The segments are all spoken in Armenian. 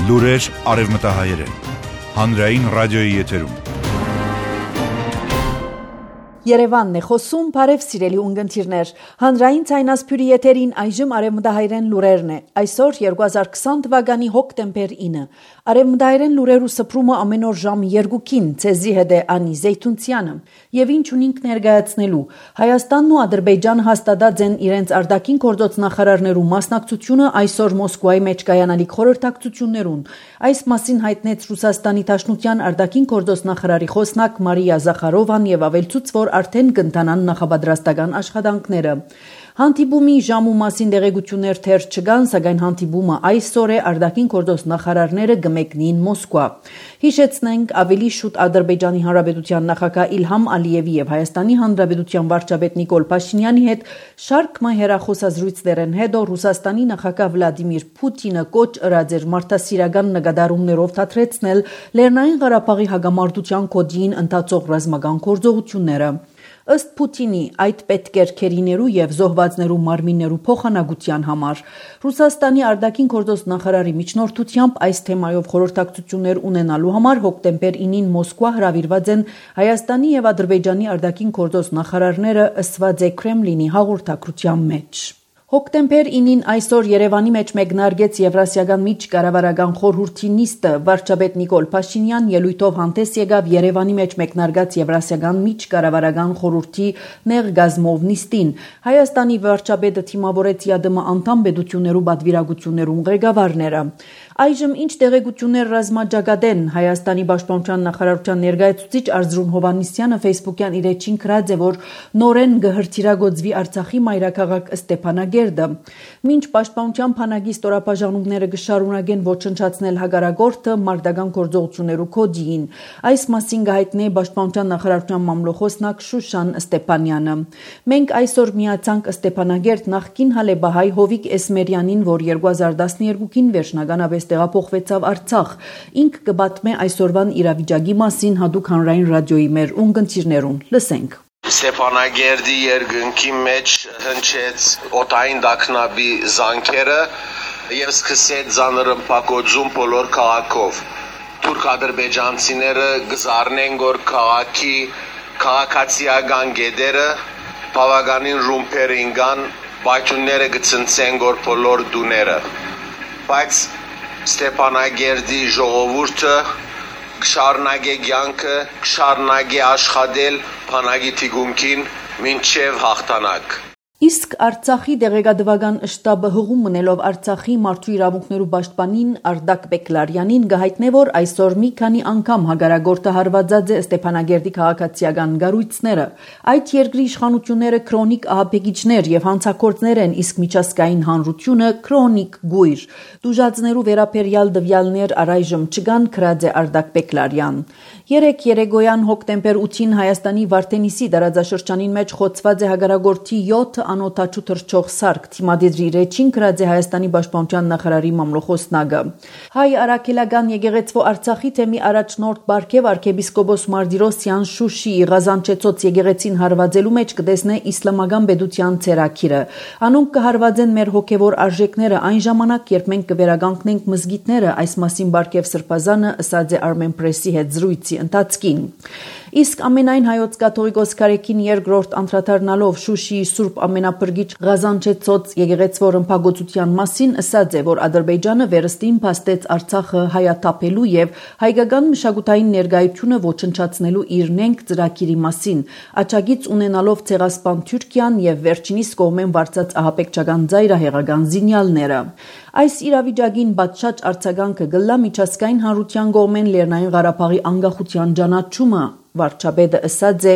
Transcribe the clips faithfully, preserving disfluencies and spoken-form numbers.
Լուրեր արևմտահայերեն։ Հանրային ռադիոյի եթերում։ Երևանն է խոսում, բարև սիրելի ունգընթիրներ։ Հանրային ցայնասփյուրի եթերին այժմ արևմտահայերեն լուրերն է։ Այսօր երկու հազար քսան թվականի հոկտեմբեր ինը։ Արևմտահայերեն լուրերու սփռումը ամեն օր ժամ երկուքին, ցեզի հետ է Անի Զեյթունցյանը։ Եվ ինչ ունենք ներկայացնելու։ Հայաստանն ու Ադրբեջանը հաստատած են իրենց արտաքին գործոց նախարարներու մասնակցությունը այսօր Մոսկվայի մեջ կայանալիք խորհրդակցություններուն։ Այս մասին հայտնեց Ռուսաստանի Դաշնության արտաքին գործոց նախարարի խոսնակ Մարիա Զախարովան եւ ավելցուց, որ արդեն կընթանան նախապատրաստական աշխատանքները։ Հանդիպումի ժամու մասին տեղեկություններ թեր չկան, սակայն հանդիպումը այսօր է արտաքին գործոց նախարարները կմեկնին Մոսկվա։ Հիշեցնենք, ավելի շուտ Ադրբեջանի Հանրապետության նախագահ Իլհամ Ալիևի եւ Հայաստանի Հանրապետության վարչապետ Նիկոլ Փաշինյանի հետ շարք մը հեռախոսազրույցներն հետո Ռուսաստանի նախագահ Վլադիմիր Պուտինը կոչ ըրած էր մարդասիրական նկատառումներով թատրեցնել Լեռնային Ղարաբաղի հակամարտության կոդին ընթացող ռազմական գործողությունները։ Ըստ Պուտինի, այդ պետք էր քերիներու եւ զոհվածներու մարմիններու փոխանակության համար։ Ռուսաստանի արտաքին գործոց նախարարի միջնորդությամբ այս թեմայով խորհրդակցություններ ունենալու համար հոկտեմբեր ինին Մոսկվա հրավիրված են Հայաստանի եւ Ադրբեջանի արտաքին գործոց նախարարները, ըսված է Կրեմլինի հաղորդակցության մեջ։ Հոկտեմբեր ինին այսօր Երևանի մեջ մեկնարկեց Եվրասիական միջկառավարական խորհրդի նիստը։ Վարչապետ Նիկոլ Փաշինյան ելույթով հանդես եկավ Երևանի մեջ մեկնարկած Եվրասիական միջկառավարական խորհրդի ներգազմով նիստին։ Հայաստանի վարչապետը թիմավորեց ԵԱԴՄ անդամ պետություններու պատվիրակություններուն ղեկավարները։ Այժմ ինչ տեղեկություններ ռազմաճակատեն։ Հայաստանի պաշտպանության նախարարության ներկայացուցիչ Արզրուն Հովհաննիսյանը Facebook-յան իր էջին գրած է, որ նորեն կհրթիռագործվի Արցախի մայրաքաղաք Ստեփանագերդը։ Մինչ պաշտպանության բանակի ստորաբաժանումները կշարունակեն ոչնչացնել հակառակորդը մարտական գործողություններու կոդին։ Այս մասին կհայտնի պաշտպանության նախարարության մամլոխոսնակ Շուշան Ստեփանյանը։ Մենք այսօր միացանք Ստեփանագերդ նախկին հալեբահայ Հովիկ Էսմերյանին, որ երկու հազար տասներկուին վերջնականապես տեղափոխվեցավ Արցախ։ Ինք կպատմե այսօրվան իրավիճակի մասին հատուկ հանրային ռադիոյի մեր ունգընթիրներուն։ Լսենք։ Ստեփանագերդի երկնքի մեջ հնչեց օտային դակնաբի զանգերը եւ սկսեց զանրմփակոծում բոլոր քաղաքով։ Թուրք-ադրբեջանցիները գզարնեն գոր քաղաքի քաղաքացիական գեդերը բավականին ռումբեր ինգան, բայթունները գցնցեն գոր բոլոր դուները։ Բայց Ստեփանագերդի ժողովուրդը կշարունակե կյանքը, կշարունակե աշխատել բանակի թիկունքին մինչև հաղթանակ։ Իսկ Արցախի դեղեկատվական շտաբը հղում մնելով Արցախի մարդու իրավունքներու պաշտպանին Արտակ Բեկլարյանին գահիտնե, որ այսօր մի քանի անգամ հակառակորդը հարվածած է Ստեփանագերդի քաղաքացիական գառույցները։ Այդ երկրի իշխանությունները քրոնիկ ահաբեկիչներ եւ հանցագործներ են, իսկ միջազգային հանրությունը քրոնիկ գույր։ Դուժածներու վերապերյալ դվյալներ առայժմ չկան, գրած է Արտակ Բեկլարյան։ Երեք երեկոյան հոկտեմբեր ութին Հայաստանի Վարդենիսի տարածաշրջանին մեջ խոցված է հակառակորդի յոթ անօթաչու թռչող սարք, թիմադիրի ռեչին գրած է Հայաստանի պաշտպանության նախարարի մամլոխոսնակը։ Հայ արաքելական եկեղեցու Արցախի թեմի առաջնորդ Բարքև arczepiskopos Mardyrosyan Շուշիի Ղազանչեցոց եկեղեցին հարվածելու մեջ կտեսնե իսլամական պետության ցերակիրը։ Անոնք կհարվածեն մեր հոգևոր արժեքները այն ժամանակ, երբ մենք կվերականգնենք մզգիթները, այս մասին Բարքև Սրբազանը ըսած է Armen Press-ի հետ զրույցի ընթացքին։ Իսկ ամենայն հայոց կաթողիկոս կարեկին երկրորդ անդրադառնալով Շուշիի Սուրբ ամենափրկիչ Ղազանչեցոց եկեղեցու ռմբակոծության մասին ըսած է, որ Ադրբեջանը վերստին փաստեց Արցախը հայաթափելու եւ հայկական մշակութային ներկայությունը ոչնչացնելու իր նենք ծրագիրի մասին, աչագից ունենալով ցեղասպան Թուրքիան եւ վերջինիս կողմեն վարձած ահաբեկչական ծայրահեղական զինյալները։ Այս իրավիճակին պատշաճ արձագանքը գլլա միջազգային հանրության կողմեն Լեռնային Ղարաբաղի անկախության ճանաչումը, վարչապետը ըսած է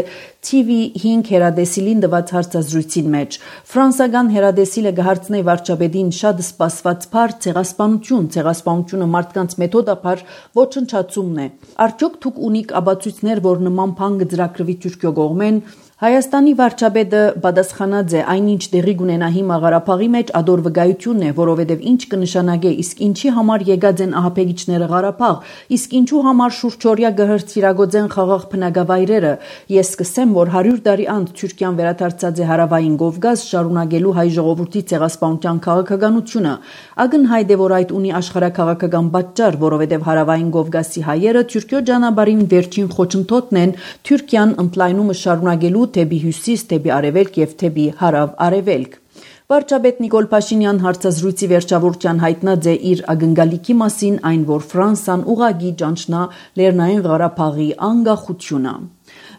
T V հինգ հերադեսիլին տված հարցազրույցին մեջ։ Ֆրանսական հերադեսիլը կհարցնե վարչապետին շատ սպասված փառ ցեղասպանություն, ցեղասպանությունը մարդկանց մեթոդապար ոչնչացումն է։ Արդյոք դուք ունիք ապացույցներ, որ նման բան կձրագրվի Թուրքիո կողմեն։ Հայաստանի վարչապետը պատասխանած է այնինչ դեղի գունենա հիմա Ղարաբաղի մեջ ադոր վկայությունն է, որովհետև ինչ կնշանակե, իսկ ինչի համար եկած են ահապեգիչները Ղարաբաղ, իսկ ինչու համար շուրջօրյա գհրցիրագոծեն խաղաղ բնակավայրերը։ Ես կսեմ, որ հարյուր տարի անց Թուրքիան վերադարձած է հարավային Կովկաս շարունակելու հայ ժողովրդի ցեղասպանության քաղաքականությունը։ Ակնհայտ է, որ այդ ունի աշխարհաքաղաքական պատճառ, որովհետև հարավային Կովկասի հայերը Թուրքիո ճանապարհին վերջին խոչընդոտն են Թուրքիան ընդլայնումը շարունակելու թեպի հյուսիս, թեպի արևելք եւ թեպի հարավ-արևելք։ Վարչապետ Նիկոլ Փաշինյան հարցազրույցի վերջավորության հայտնած է իր ակնկալիքի մասին, այն որ Ֆրանսան ուղղակի ճանչնա Լեռնային Ղարաբաղի անկախությունը։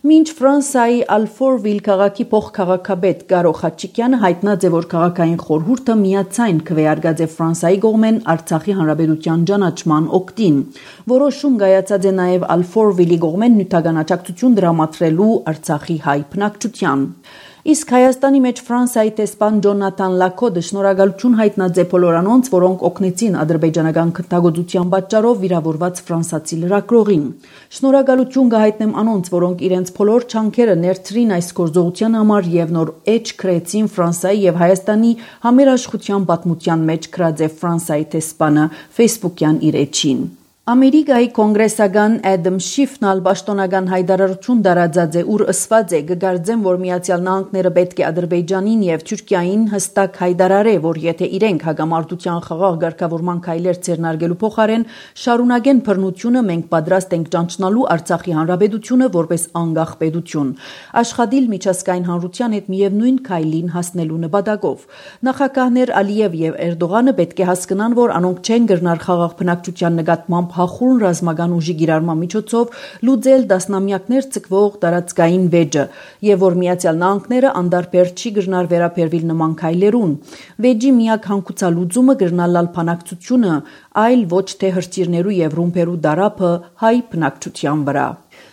Մինչ Ֆրանսիայի Ալֆորվիլ քաղաքի փոխքաղաքապետ Կարո Խաչիկյանը հայտնած է, որ քաղաքային խորհուրդը միացայն քվեարկած է Ֆրանսիայի կողմեն Արցախի հանրապետության ճանաչման օգտին։ Որոշում կայացած է նաև Ալֆորվիլի կողմեն նյութական աջակցություն դրամատրելու Արցախի հայ բնակչության։ Իսկ Հայաստանի մեջ Ֆրանսիայի տեսփան Ջոնաթան Լակոդը շնորհակալություն հայտնած է բոլոր անոնց, որոնք օգնեցին ադրբեջանական քննադատության պատճառով վիրավորված ֆրանսացի լրագրողին։ Շնորհակալություն կհայտնեմ անոնց, որոնք իրենց բոլոր չանքերը ներդրին այս գործողության համար եւ նոր էջ քրեցին Ֆրանսիայի եւ Հայաստանի համերաշխության պատմության մեջ գրած է Ֆրանսիայի տեսփանը Facebook-յան իր էջին։ Ամերիկայի կոնգրեսական Էդմ Շիֆն ալ պաշտոնական հայտարարություն տարածած է, ուր ասված է կգարձեն, որ Միացյալ Նահանգները պետք է Ադրբեջանին եւ Թուրքիային հստակ հայտարարե, որ եթե իրենք հագամարտության խաղաղ ղեկավարման քայլեր ձեռնարկելու փոխարեն շարունակեն բռնությունը, մենք պատրաստ ենք ճանչնալու Արցախի հանրապետությունը որպես անկախ պետություն, աշխատիլ միջազգային հանրության հետ միևնույն քայլին հասնելու նպատակով։ Նախագահներ Ալիև եւ Էրդողանը պետք է հասկանան, որ անոնք չեն գրնար խաղաղ բնակչության նկատմամբ հախուռն ռազմական ուժի գիրառման միջոցով լուծել դասնամյակներ ցկվող տարածքային վեճը եւ որ Միացյալ Նահանգները անդարբեր չի գրնար վերաբերվել նման քայլերուն։ Վեճի միակ հանգուցալուծումը գրնալալ բանակցությունը, այլ ոչ թե հրթիռներու եւ ռումբերու դարափը հայ բնակչության վրա։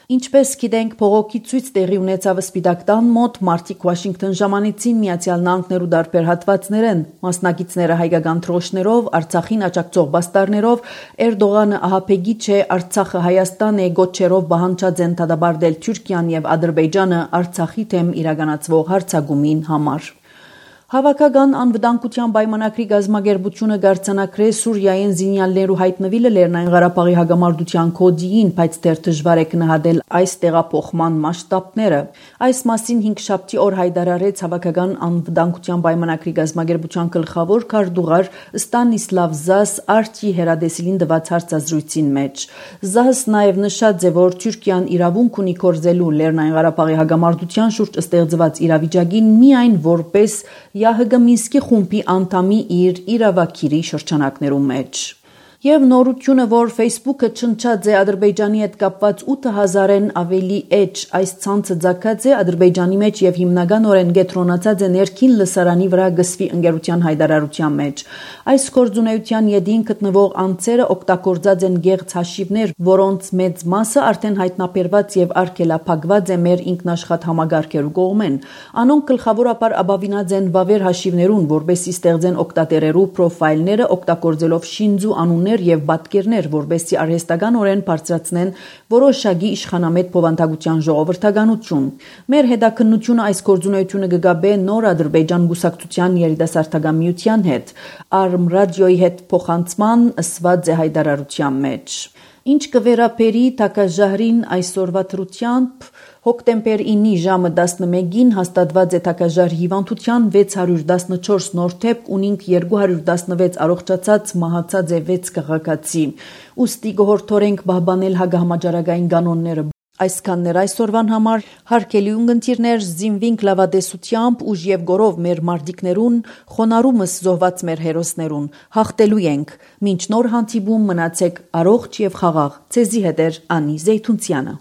Ինչպես գիտենք, փողոքի ցույց տեղի ունեցավ Սպիտակ տան մոտ, մարդիկ Վաշինգտոն ժամանեցին Միացյալ Նահանգներու դարբեր հատվածներեն, մասնակիցները հայկական թրոշներով, Արցախին աջակցող բաստարներով, Էրդողանը ահապեգիչ է, Արցախը Հայաստան է գոչերով բանջած են դադարել Թուրքիան եւ Ադրբեջանը Արցախի թեմ իրականացվող հարձակումին համար։ Հավաքական անվտանգության պայմանագրի գազագերբությունը գարցանակրե Սուրիայեն զինյալներու հայտնվելը Լեռնային Ղարաբաղի հագամարտության կոդիին, բայց դեռ դժվար է գնահատել այս տեղափոխման մասշտաբները։ Այս մասին հինգշաբթի օր հայտարարեց Հավաքական անվտանգության պայմանագրի գազագերբության գլխավոր քարտուղար Ստանիսլավ Զաս Արտի հերադեսիլին տված հարցազրույցին մեջ։ Զաս նաև նշած է, որ Թուրքիան իրավունք ունի կորզելու Լեռնային Ղարաբաղի հագամարտության շուրջ ստեղծված իրավիճակին միայն որպես ԵԱՀԿ Մինսկի խումբի անդամի իր իրավակիրի շրջանակներում մեջ։ Եվ նորությունը, որ Facebook-ը չնչած է Ադրբեջանի հետ կապված ութ հազարեն ավելի էջ, այս ցանցը ցակած է Ադրբեջանի մեջ եւ հիմնականորեն կենտրոնացած է ներքին լսարանի վրա գսվի ընկերության հայտարարության մեջ։ Այս գործունեության յետին գտնվող անձերը օգտագործած են գեղձ հաշիվներ, որոնց մեծ մասը արդեն հայտնաբերված եւ արգելափակված է մեր ինքնաշխատ համագարկերու կողմեն։ Անոնք գլխավորապես ապավինած են վավեր հաշիվներուն, որբեսի ստեղծեն օգտատերերու պրոֆայլները օգտագործելով շինձու անուններ եւ պատկերներ, որբեսի արհեստականորեն բարձրացնեն որոշակի իշխանամետ փոխանցության ժողովրդականություն։ Մեր հետաքննությունը այս գործունեությունը կգաբե նոր Ադրբեջան գուսակցության երիտասարդական միության հետ, Արմ ռադիոյի հետ փոխանցման ըսված է հայտարարության մեջ։ Ինչ կվերապերի Թակաժահրին այսօրվա դրությամբ հոկտեմբեր ինը ժամը տասնմեկին հաստատված է Թակաժահր հիվանդության վեց հարյուր տասնչորս նոր դեպք, ունինք երկու հարյուր տասնվեց առողջացած, մահացած է վեց քաղաքացի։ Ուստի կհորդորենք պահպանել հագահամաճարակային կանոնները։ Այսքաններ այսօրվան համար, հարգելի ունկնդիրներ, զինվինք լավատեսությամբ, ուժ եւ գորով մեր մարտիկներուն, խոնարհումս զոհված մեր հերոսներուն, հաղթելու ենք։ Մինչ նոր հանդիպում մնացեք առողջ եւ խաղաղ։ Ցեզի հետ է Անի Զեյթունցյանը։